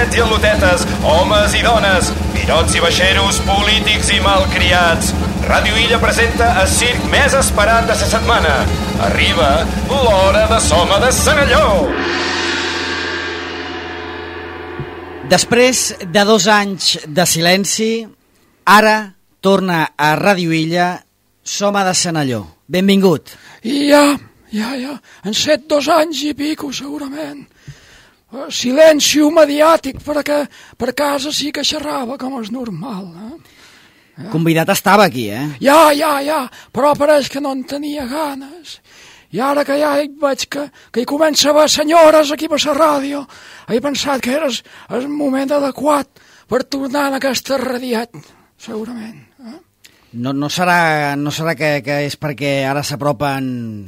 lotets i al·lotetes, homes i dones, pilots i baixeros, polítics i malcriats. Ràdio Illa presenta el circ més esperat de la setmana. Arriba l'hora de Soma de Senalló. Després de 2 anys de silenci, ara torna a Ràdio Illa Soma de Senalló. Benvingut. Ja. Han set 2 anys i pico, segurament. Silenci mediàtic, perquè per casa sí que xerrava, com és normal. Convidat estava aquí, Ja, però pareix que no en tenia ganes. I ara que ja hi veig que hi comença a haver senyores aquí per la ràdio, he pensat que era el moment adequat per tornar en aquesta radiat, segurament. No serà que és perquè ara s'apropen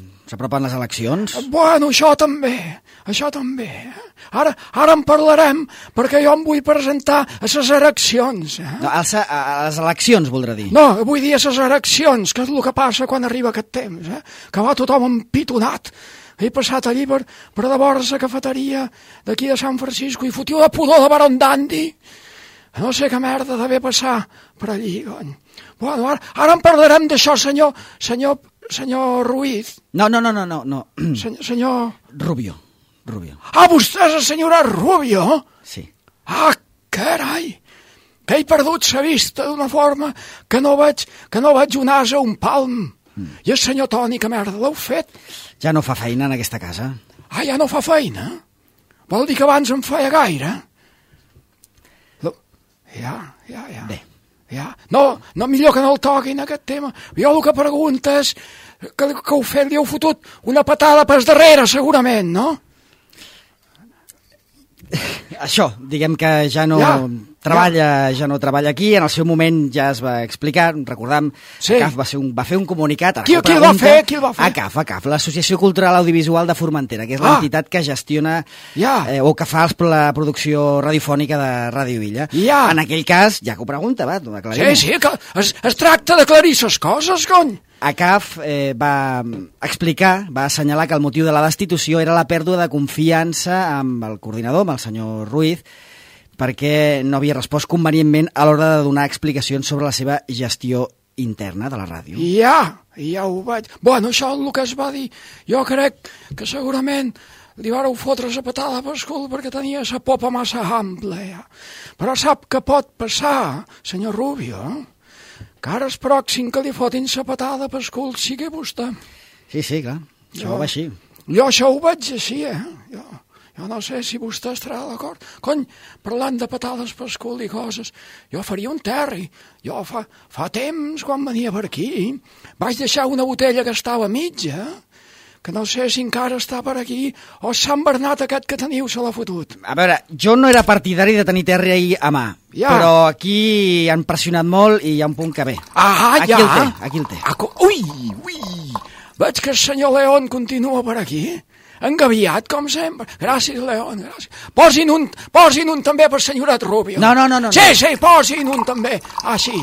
les eleccions? Bueno, això també. Ara en parlarem, perquè jo em vull presentar a les eleccions. No, a les eleccions, voldrà dir. No, vull dir a les eleccions, que és el que passa quan arriba aquest temps, que va tothom empitonat. He passat allí per de vora la cafeteria d'aquí de Sant Francisco i fotiu de pudor de Baron Dandy. No sé què merda d'haver passat per allí, cony. Bueno, ara en parlarem d'això, senyor Ruiz. No. Senyor... Rubio. Ah, vostè és la senyora Rubio? Sí. Ah, carai! Que he perdut la vista d'una forma que no veig un ase o un palm. I el senyor Toni, que merda l'heu fet? Ja no fa feina en aquesta casa. Ah, ja no fa feina? Vol dir que abans en feia gaire? Ja. Bé. Ja. No, millor que no el toquin, aquest tema. Jo el que pregunto és que li heu fotut una patada per darrere, segurament, no? Això, diguem que ja no treballa aquí, en el seu moment ja es va explicar, recordam, sí. ACAF va fer un comunicat. Qui el va fer? ACAF, l'Associació Cultural Audiovisual de Formentera, que és l'entitat que gestiona o que fa la producció radiofònica de Ràdio Illa. En aquell cas, ja que ho pregunta, aclarim. Sí, que es tracta d'aclarir les coses, cony. ACAF va explicar, va assenyalar que el motiu de la destitució era la pèrdua de confiança amb el coordinador, amb el senyor Ruiz, perquè no havia respost convenientment a l'hora de donar explicacions sobre la seva gestió interna de la ràdio. Ja ho veig. Bueno, això és el que es va dir. Jo crec que segurament li vareu fotre la patada pel cul perquè tenia la popa massa ampla. Però sap què pot passar, senyor Rubio? Que ara és pròxim que li fotin la patada pel cul sigui vostè. Sí, clar. Això va així. Jo això ho veig així, Jo no sé si vostè estarà d'acord. Cony, parlant de patades pel cul i coses, jo faria un terri. Jo fa temps, quan venia per aquí, vaig deixar una botella que estava mitja, que no sé si encara està per aquí, o Sant Bernat aquest que teniu se l'ha fotut. A veure, jo no era partidari de tenir terri ahir a mà, però aquí han pressionat molt i hi ha un punt que ve. Aquí el té. Ui! Veig que el senyor León continua per aquí, engaviat, com sempre. Gràcies, León, gràcies. Posin un també per senyorat Rubio. No. Sí, posin un també. Sí.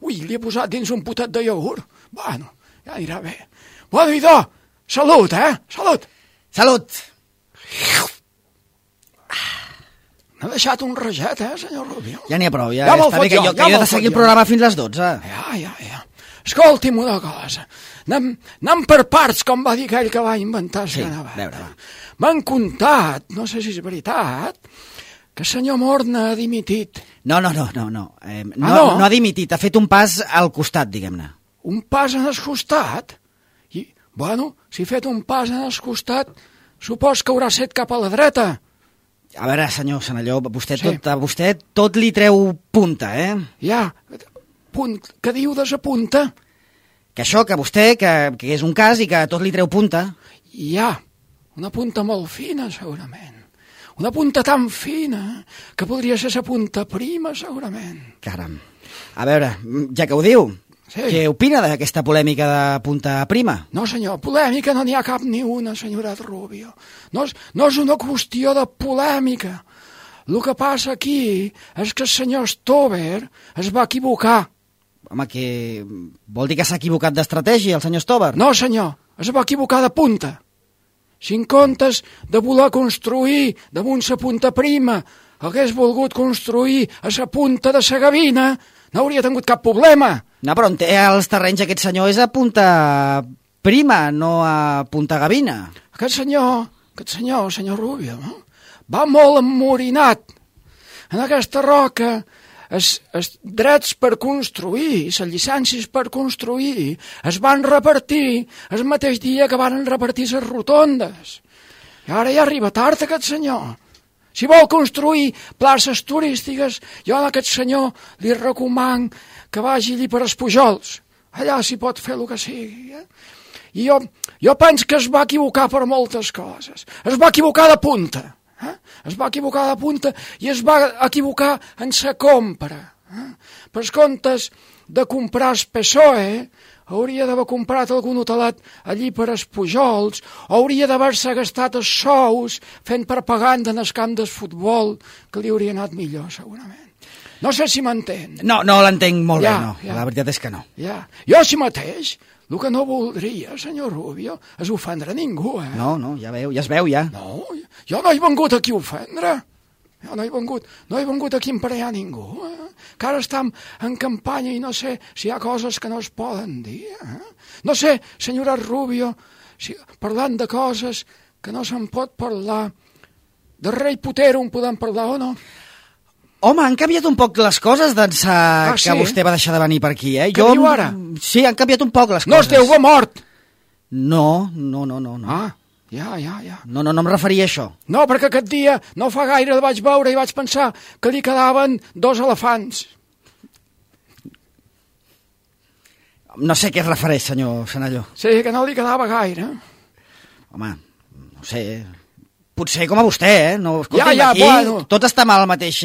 Ui, li he posat dins un potet de iogurt. Bueno, ja anirà bé. Bueno, idò, salut, Salut. Salut. M'ha deixat un raget, senyor Rubio. Ja n'hi ha prou, ja està bé que jo he de seguir el programa fins les 12. Ja. Escolti'm una cosa. Anem per parts, com va dir aquell que va inventar. Sí, veure. M'han contat, no sé si és veritat, que el senyor Morna ha dimitit. No. No ha dimitit, ha fet un pas al costat, diguem-ne. Un pas en el costat? I, bueno, si ha fet un pas en el costat, supos que haurà set cap a la dreta. A veure, senyor Senalló, vostè tot li treu punta, Ja, què diu de sa punta? Que això, que vostè, que és un cas i que tot li treu punta. Ja, una punta molt fina, segurament. Una punta tan fina que podria ser sa punta prima, segurament. Caram. A veure, ja que ho diu, què opina d'aquesta polèmica de punta prima? No, senyor, polèmica no n'hi ha cap ni una, senyorat Rubio. No és una qüestió de polèmica. El que passa aquí és que el senyor Stover es va equivocar. Home, que vol dir que s'ha equivocat d'estratègia, el senyor Stover? No, senyor, es va equivocar de punta. Si en comptes de voler construir damunt sa punta prima hagués volgut construir a la punta de la Gavina, no hauria tingut cap problema. No, però on té els terrenys aquest senyor és a Punta Prima, no a Punta Gavina. Aquest senyor Rubio, no? Va molt emmorinat. En aquesta roca, els drets per construir, les llicències per construir, es van repartir el mateix dia que van repartir les rotondes. I ara ja arriba tard aquest senyor. Si vol construir places turístiques, jo a aquest senyor li recomano que vagi allí per els Pujols. Allà s'hi pot fer el que sigui. I jo penso que es va equivocar per moltes coses. Es va equivocar de punta. Es va equivocar de punta i es va equivocar en la compra. Per comptes de comprar el PSOE, hauria d'haver comprat algun hotelet allí per els Pujols, o hauria d'haver-se gastat els sous fent propaganda en el camp del futbol, que li hauria anat millor, segurament. No sé si m'entén. No l'entenc molt bé, no. La veritat és que no. Jo si mateix, el que no voldria, senyor Rubio, és ofendre ningú, No, ja es veu, ja. No, jo no he vengut aquí a ofendre. Jo no he vengut aquí a emparellar ningú, que ara estem en campanya i no sé si hi ha coses que no es poden dir. No sé, senyora Rubio, si parlant de coses que no se'n pot parlar, de rei Potero en podem parlar o no? Home, han canviat un poc les coses d'ençà que vostè va deixar de venir per aquí, Què diu ara? Sí, han canviat un poc les coses. No esteu mort! No. Ja. No em referia a això. No, perquè aquest dia, no fa gaire el vaig veure i vaig pensar que li quedaven 2 elefants. No sé què es refereix, senyor Senalló. Sí, que no li quedava gaire. Home, no sé... Potser com a vostè, No, escolti'm, aquí bueno. Tot està mal al mateix...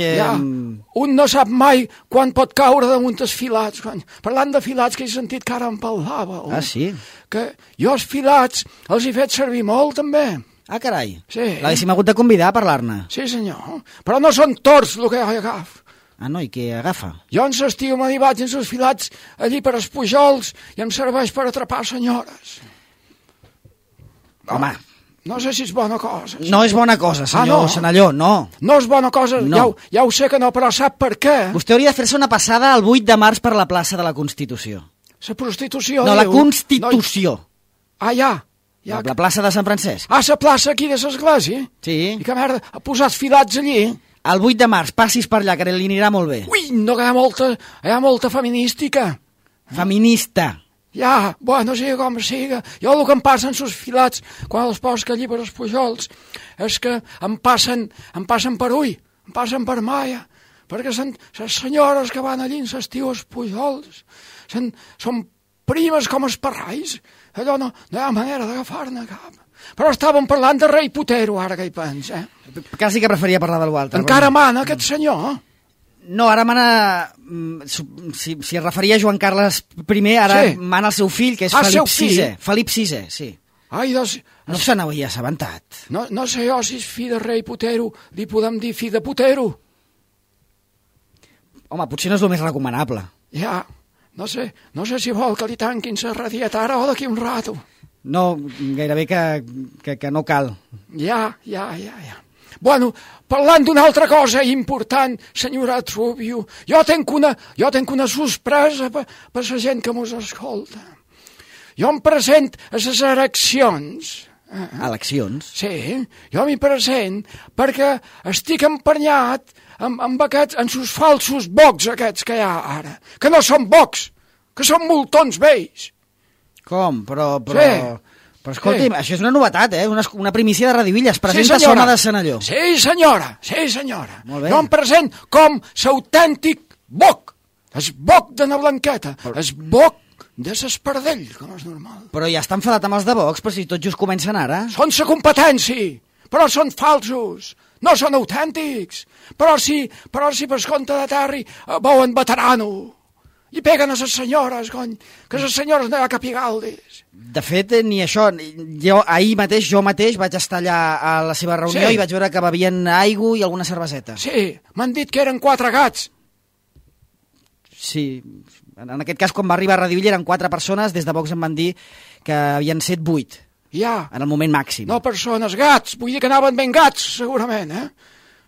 Un no sap mai quan pot caure damunt els filats. Parlant de filats, que he sentit que ara em parlava. Ah, sí? Que jo els filats els he fet servir molt, també. Ah, carai. Sí. L'haguéssim hagut de convidar a parlar-ne. Sí, senyor. Però no són torts el que jo agafo. Ah, no? I què agafa? Jo en l'estiu m'hi vaig en els filats allí per els Pujols i em serveix per atrapar senyores. Home... No sé si és bona cosa. No és bona cosa, senyor Senalló, no. No és bona cosa, no. Ja ho sé que no, però sap per què? Vostè hauria de fer-se una passada el 8 de març per la plaça de la Constitució. La prostitució... No, la Constitució. Ah, ja. La plaça de Sant Francesc. Ah, la plaça aquí de l'església? Sí. I que merda, ha posat filats allí? El 8 de març, passis per allà, que li anirà molt bé. Ui, no, que hi ha molta feminística. Feminista. Ja, bueno, sigui com siga. Jo el que em passen sus filats quan els poso allí per els Pujols és que em passen per ull, em passen per maia, perquè les senyores que van allí en l'estiu als Pujols són primes com els parrais. Allò no hi ha manera d'agafar-ne cap. Però estàvem parlant de rei Potero, ara que hi pensa. Quasi que preferia parlar d'algú altre. Encara mana aquest senyor? No, ara mana... Si es referia a Joan Carles I, ara mana el seu fill, que és Felip VI. Felip VI, sí. Ai, doncs... No se n'havia assabentat. No sé jo si és fill de rei Potero, li podem dir fill de Potero. Home, potser no és el més recomanable. Ja, no sé si vol que li tanquin la radieta ara o d'aquí un rato. No, gairebé que no cal. Ja. Bueno, parlant d'una altra cosa important, senyora Rubio, jo tenc una sorpresa per la gent que mos escolta. Jo em present a les eleccions. Eleccions? Sí, jo m'hi present perquè estic emprenyat amb sus falsos bocs aquests que hi ha ara, que no són bocs, que són multons vells. Com? Però... Sí. Però escolti'm, això és una novetat, una primícia de Radio Illa. Es presenta Soma de Senalló. Sí, senyora. Molt bé. Jo em present com l'autèntic boc. El boc de na Blanqueta. El boc de s'Espardell, com és normal. Però ja està enfadat amb els de Vox, però si tot just comencen ara. Són sa competència, però són falsos. No són autèntics. Però si per compte de Terri veuen veterano. I peguen a les senyores, cony, que les senyores no hi ha capigaldis. De fet, ni això. Jo mateix vaig estar allà a la seva reunió i vaig veure que bevien aigua i alguna cerveseta. Sí, m'han dit que eren 4 gats. Sí, en aquest cas, quan va arribar a Radio Illa eren 4 persones, des de Vox em van dir que havien set 8. Ja. En el moment màxim. No persones, gats, vull dir que anaven ben gats, segurament,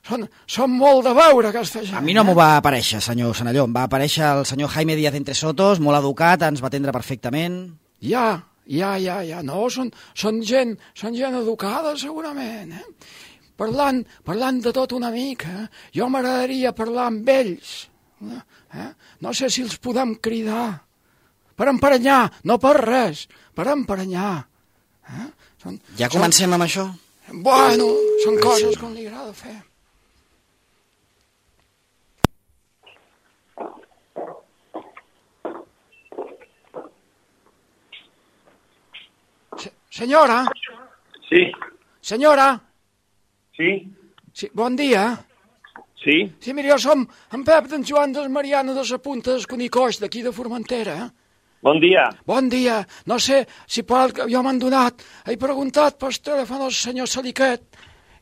són molt de veure, aquesta gent. A mi no m'ho va aparèixer, senyor Senalló. Em va aparèixer el senyor Jaime Díaz Entresotos, molt educat, ens va atendre perfectament. Ja, no, són gent educada, segurament, Parlant de tot una mica, jo m'agradaria parlar amb ells, No sé si els podem cridar, per emprenyar, no per res, per emprenyar. Ja comencem amb això? Bueno, són coses com li agrada fer. Senyora? Sí. Senyora? Sí. Sí, bon dia. Sí. Sí, mira, jo som en Pep d'en Joan des Mariano de la Punta del Conicoix, d'aquí de Formentera. Bon dia. Bon dia. No sé si pot... Jo m'han donat... He preguntat per telèfon al senyor Saliquet.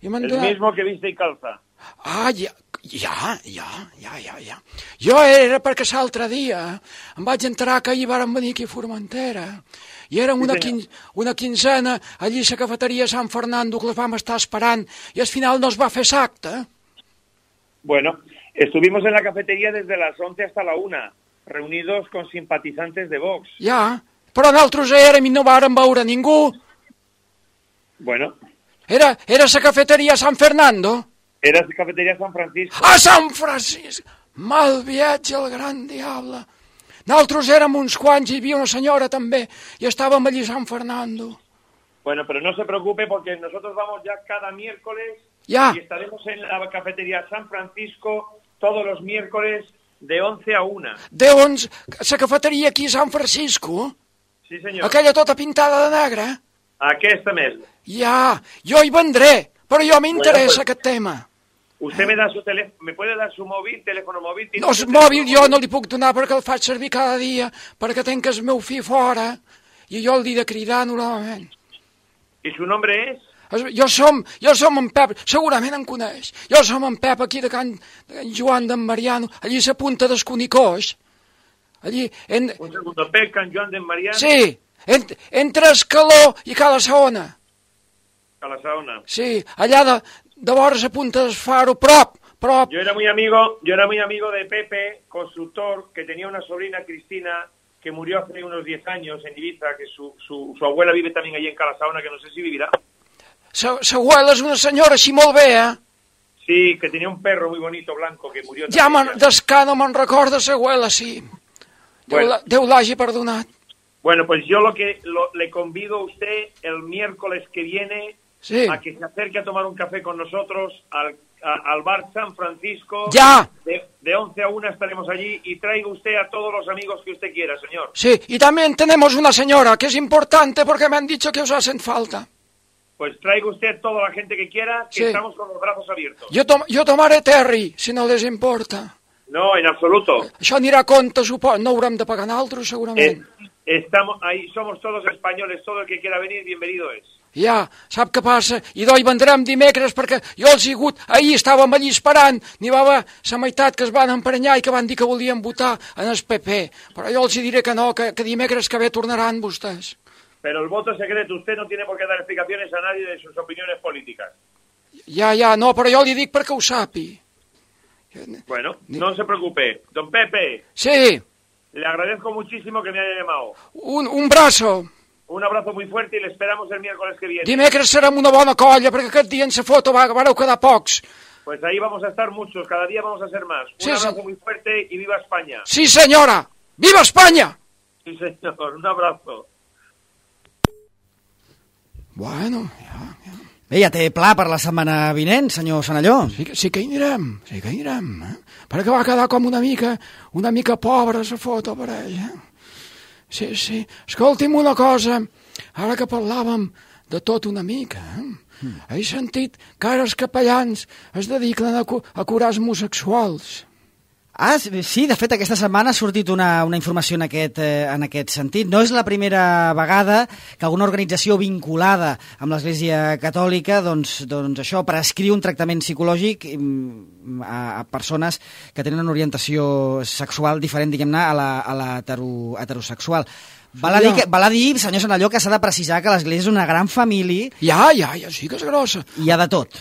I m'han donat... El mismo que viste y calza. Ah, ja. Jo era perquè l'altre dia em vaig enterar que ahir varen venir aquí a Formentera i érem una quinzena allí a la cafeteria Sant Fernando que les vam estar esperant i al final no es va fer l'acte. Bueno, estuvimos en la cafetería desde las 11 hasta la 1, reunidos con simpatizantes de Vox. Ja, però nosaltres érem i no vàrem veure ningú. Bueno. Era la cafeteria Sant Fernando? Era la cafeteria San Francisco. A Sant Francisco! Mal viatge al gran diable. Nosaltres érem uns quants, hi havia una senyora també, i estàvem allí a Sant Fernando. Bueno, pero no se preocupe porque nosotros vamos ya cada miércoles ya. Y estaremos en la cafetería San Francisco todos los miércoles de 11 a 1. De 11? La cafeteria aquí a Sant Francisco? Sí, senyor. Aquella tota pintada de negre? Aquesta mesma. Ja, jo hi vendré, però jo m'interessa aquest tema. Usted me da su teléfono, me puede dar su móvil, teléfono móvil. No, el mòbil jo no li puc donar perquè el faig servir cada dia, perquè tenc el meu fill fora, i jo el he de cridar normalment. I su nombre és? Jo som en Pep, segurament em coneix. Jo som en Pep aquí de Can Joan d'en Mariano, allí a la Punta del Conicoix. Allí... Un segundo, Pep, Can Joan d'en Mariano? Sí, entre Escaló i Cala Saona. Cala Saona. Sí, allà de vora a Punta del Faro, prop. Yo era muy amigo de Pepe, constructor, que tenía una sobrina, Cristina, que murió hace unos 10 años en Ibiza, que su abuela vive también allí en Cala Saona, que no sé si vivirá. Sa abuela és una senyora així molt bé, Sí, que tenía un perro muy bonito, blanco, que murió. Ja d'escà no me'n recorda sa abuela, sí. Bueno. Déu l'hagi perdonat. Bueno, pues yo le convido a usted el miércoles que viene a que se acerque a tomar un café con nosotros al bar San Francisco. Ya. De 11 a 1 estaremos allí y traiga usted a todos los amigos que usted quiera, señor. Sí, y también tenemos una señora que es importante porque me han dicho que os hacen falta. Pues traiga usted toda la gente que quiera, que estamos con los brazos abiertos. Jo tomaré Terry, si no les importa. No, en absoluto. Això anirà a compte, suposo. No haurem de pagar nosaltres, segurament. Estamos ahí, somos todos españoles, todo el que quiera venir, bienvenido es. Ja, sap què passa? I d'oi vendrem dimecres perquè jo els he hagut... Ahir estàvem allí esperant, n'hi va haver la meitat que es van emprenyar i que van dir que volien votar en el PP. Però jo els diré que no, que dimecres que ve tornaran vostès. Pero el voto es secreto, usted no tiene por qué dar explicaciones a nadie de sus opiniones políticas. Ja, no, però jo li dic perquè ho sapi. Bueno, no se preocupe. Don Pepe. Sí. Le agradezco muchísimo que me haya llamado. Un brazo. Un abrazo muy fuerte y le esperamos el miércoles que viene. Dimecres serem una bona colla, perquè aquest dia en la foto vareu quedar pocs. Pues ahí vamos a estar muchos, cada día vamos a ser más. Un abrazo muy fuerte y viva España. Sí, señora. ¡Viva España! Sí, señor, un abrazo. Bueno, ja. Bé, ja té pla per la setmana vinent, senyor Senalló. Sí que hi anirem, perquè va quedar com una mica pobra la foto per ell. Sí. Escolti'm una cosa, ara que parlàvem de tot una mica, he sentit que ara els capellans es dediquen a curar els homosexuals. Ah, sí, de fet aquesta setmana ha sortit una informació en aquest sentit. No és la primera vegada que alguna organització vinculada amb l'Església Catòlica doncs això prescriu un tractament psicològic a persones que tenen una orientació sexual diferent, diguem-ne, a la heterosexual. Val a dir, senyor Senalló, que s'ha de precisar que l'Església és una gran família. Ja, sí que és grossa. I hi ha de tot.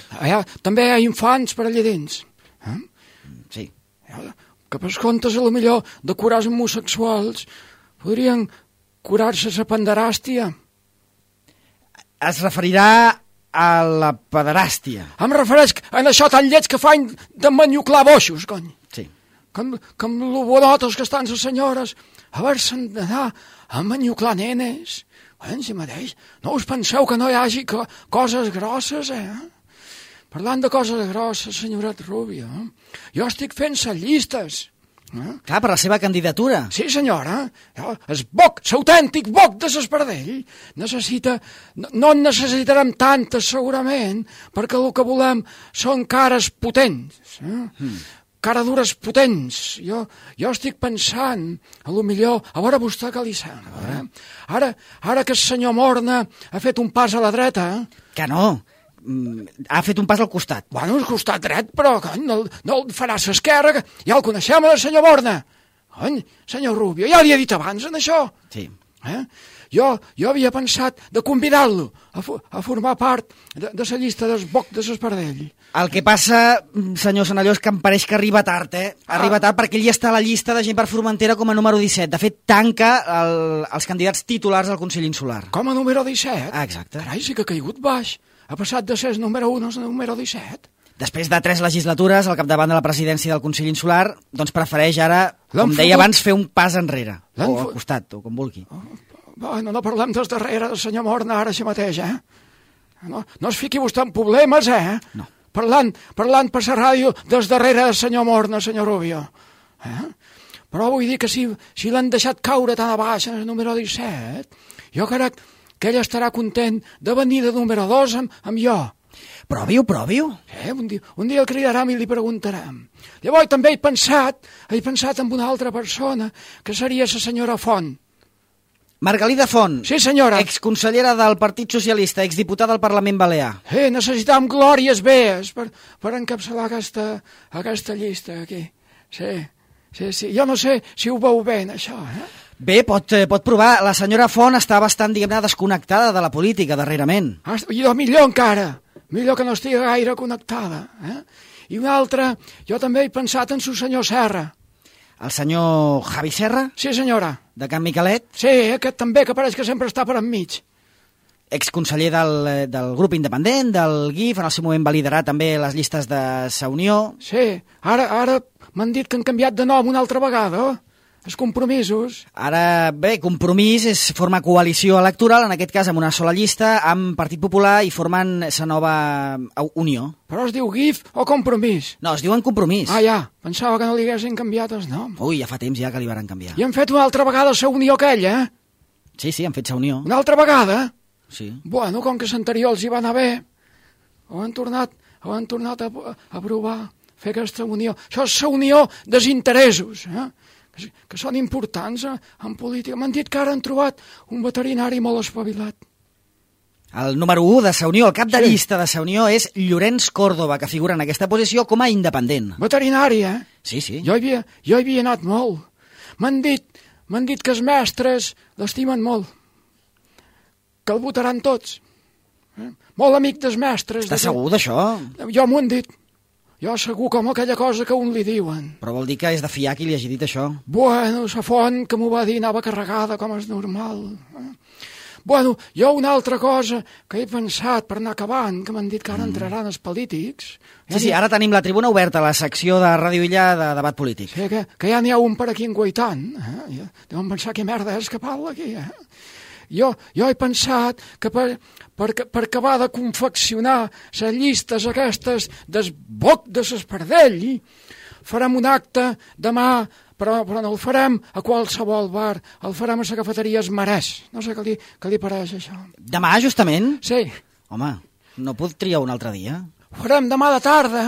També hi ha infants per allà dins. Sí. Que per comptes, a lo millor, de curar els homosexuals, podrien curar-se la penderàstia. Es referirà a la pederàstia. Em refereix a això tan lleig que fan de manyuclar boixos, cony. Sí. Que amb lo bonotes que estan les senyores, a veure-se'n d'anar a manyuclar nenes. En si mateix, no us penseu que no hi hagi coses grosses, Parlant de coses grosses, senyoret Rubio, jo estic fent les llistes. Clar, per la seva candidatura. Sí, senyora. El boc, l'autèntic boc de l'Espardell, necessita... No en necessitarem tantes, segurament, perquè el que volem són cares potents. Caradures potents. Jo estic pensant, a lo millor, a veure vostè què li sembla. Ara que el senyor Morna ha fet un pas a la dreta... Que no. Ha fet un pas al costat. Bueno, al costat dret, però no el farà a l'esquerra, que ja el coneixem, el senyor Morna. Senyor Rubio, ja li he dit abans en això. Sí. Jo havia pensat de convidar-lo a formar part de la llista del boc de l'Espardell. El que passa, senyor Senalló, és que em pareix que arriba tard, Arriba tard perquè ell ja està a la llista de gent per Formentera com a número 17. De fet, tanca els candidats titulars al Consell Insular. Com a número 17? Exacte. Carai, sí que ha caigut baix. Ha passat de ser el número 1 al número 17. Després de 3 legislatures al capdavant de la presidència del Consell Insular, doncs prefereix ara, com deia abans, fer un pas enrere, o al costat, o com vulgui. Bueno, no parlem des darrere del senyor Morna ara així mateix, No es fiqui vostè en problemes, No. Parlant per la ràdio des darrere del senyor Morna, senyor Rubio. Però vull dir que si l'han deixat caure tan a baix en el número 17, jo crec que ell estarà content de venir de número 2 amb jo. Provi-ho. Un dia el cridarem i li preguntarem. Llavors també he pensat en una altra persona, que seria la senyora Font. Margalida Font. Sí, senyora. Exconsellera del Partit Socialista, exdiputada al Parlament Balear. Necessitam glòries bees per encapçalar aquesta llista aquí. Sí. Jo no sé si ho veu bé, això, Bé, pot provar. La senyora Font està bastant, diguem-ne, desconnectada de la política, darrerament. I millor encara. Millor que no estigui gaire connectada. I una altra, jo també he pensat en su senyor Serra. El senyor Javi Serra? Sí, senyora. De Can Miquelet? Sí, aquest també, que pareix que sempre està per enmig. Exconseller del grup independent, del GIF, en el seu moment va liderar també les llistes de Sa Unió. Sí, ara m'han dit que han canviat de nom una altra vegada, els compromisos. Ara, bé, Compromís forma coalició electoral, en aquest cas amb una sola llista, amb Partit Popular, i formen la nova Unió. Però es diu GIF o Compromís? No, es diuen Compromís. Ja, pensava que no li haguessin canviat els noms. Ui, ja fa temps ja que li van canviar. I han fet una altra vegada la Unió aquella, Sí, han fet Sa Unió. Una altra vegada? Sí. Bueno, com que l'anterior els hi va anar bé, ho han tornat a provar, fer aquesta unió. Això és la unió dels interessos, que són importants en política. M'han dit que ara han trobat un veterinari molt espavilat. El número 1 de Sa Unió, el cap de llista de Sa Unió, és Llorenç Córdoba, que figura en aquesta posició com a independent. Veterinari, Sí. Jo hi havia anat molt. M'han dit que els mestres l'estimen molt, que el votaran tots. Molt amic dels mestres. Estàs segur d'això? Jo m'ho han dit. Jo segur com aquella cosa que un li diuen. Però vol dir que és de fiar qui li hagi dit això? Bueno, la font que m'ho va dir anava carregada, com és normal. Bueno, jo una altra cosa que he pensat per anar acabant, que m'han dit que ara entraran els polítics. Sí, ara tenim la tribuna oberta, la secció de Ràdio Illa de debat polític. Sí, que ja n'hi ha un per aquí enguaitant. Deuen pensar que merda és que parla aquí, Jo he pensat que per acabar de confeccionar les llistes aquestes del boc de l'Espardell, farem un acte demà, però no el farem a qualsevol bar, el farem a la cafeteria Es Marès. No sé què li pareix, això. Demà, justament? Sí. Home, no pot triar un altre dia? Ho farem demà de tarda.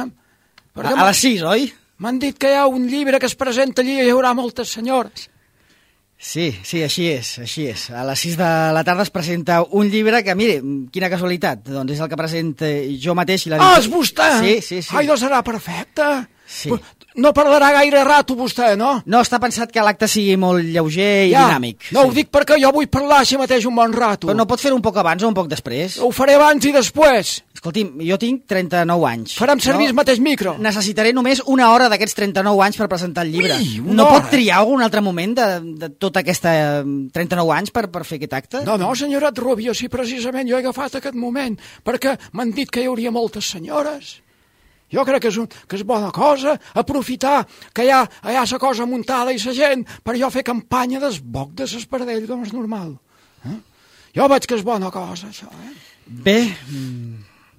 A les 6, oi? M'han dit que hi ha un llibre que es presenta allí i hi haurà moltes senyores. Sí, així és. A les 6 de la tarda es presenta un llibre que, mire, quina casualitat, doncs és el que presenta jo mateix. I És vostè? Sí. Ai, doncs serà perfecte. Sí. No parlarà gaire rato vostè, no? No, està pensat que l'acte sigui molt lleuger i dinàmic. No, ho dic perquè jo vull parlar així mateix un bon rato. Però no pot fer un poc abans o un poc després? Ho faré abans i després. Escolti'm, jo tinc 39 anys. Farem servir el mateix micro. Necessitaré només una hora d'aquests 39 anys per presentar el llibre. Ui, no hora. pot triar algun altre moment de tota aquesta 39 anys per fer aquest acte? No, senyoret Rubio, sí, precisament jo he agafat aquest moment, perquè m'han dit que hi hauria moltes senyores. Jo crec que és bona cosa aprofitar que hi ha la cosa muntada i la gent per jo fer campanya d'esboc de l'espardell, com és normal. Jo veig que és bona cosa, això. Bé.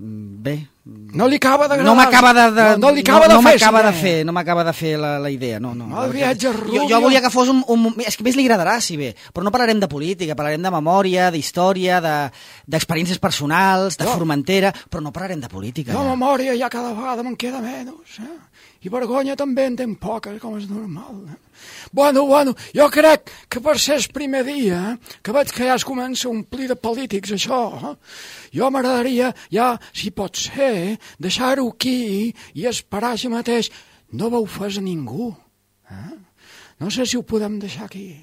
No li acaba d'agradar. No m'acaba de No li acaba de fer. No m'acaba de fer la idea, no. El viatge Rubio. Jo volia que fos és que més li agradarà, si bé, però no parlarem de política, parlarem de memòria, d'història, d'experiències personals, de Formentera, però no parlarem de política. No, memòria ja cada vegada me'n queda menys, I vergonya també en tenc poca, com és normal, Bueno, jo crec que per ser el primer dia, que veig que ja es comença a omplir de polítics, això, jo m'agradaria, ja, si pot ser, deixar-ho aquí i esperar així mateix. No vau fer a ningú. No sé si ho podem deixar aquí.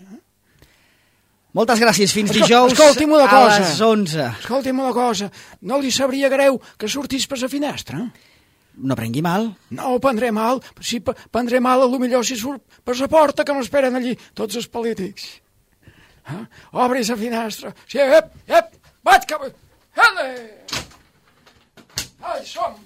Moltes gràcies, fins dijous a les 11. Escolti'm una cosa, no li sabria greu que sortís per la finestra? No prengui mal. No ho prendré mal. Si prendré mal, potser si surt per la porta que m'esperen allí tots els polítics. Obri la finestra. Sí, vaig cap... Hele! Ai, som!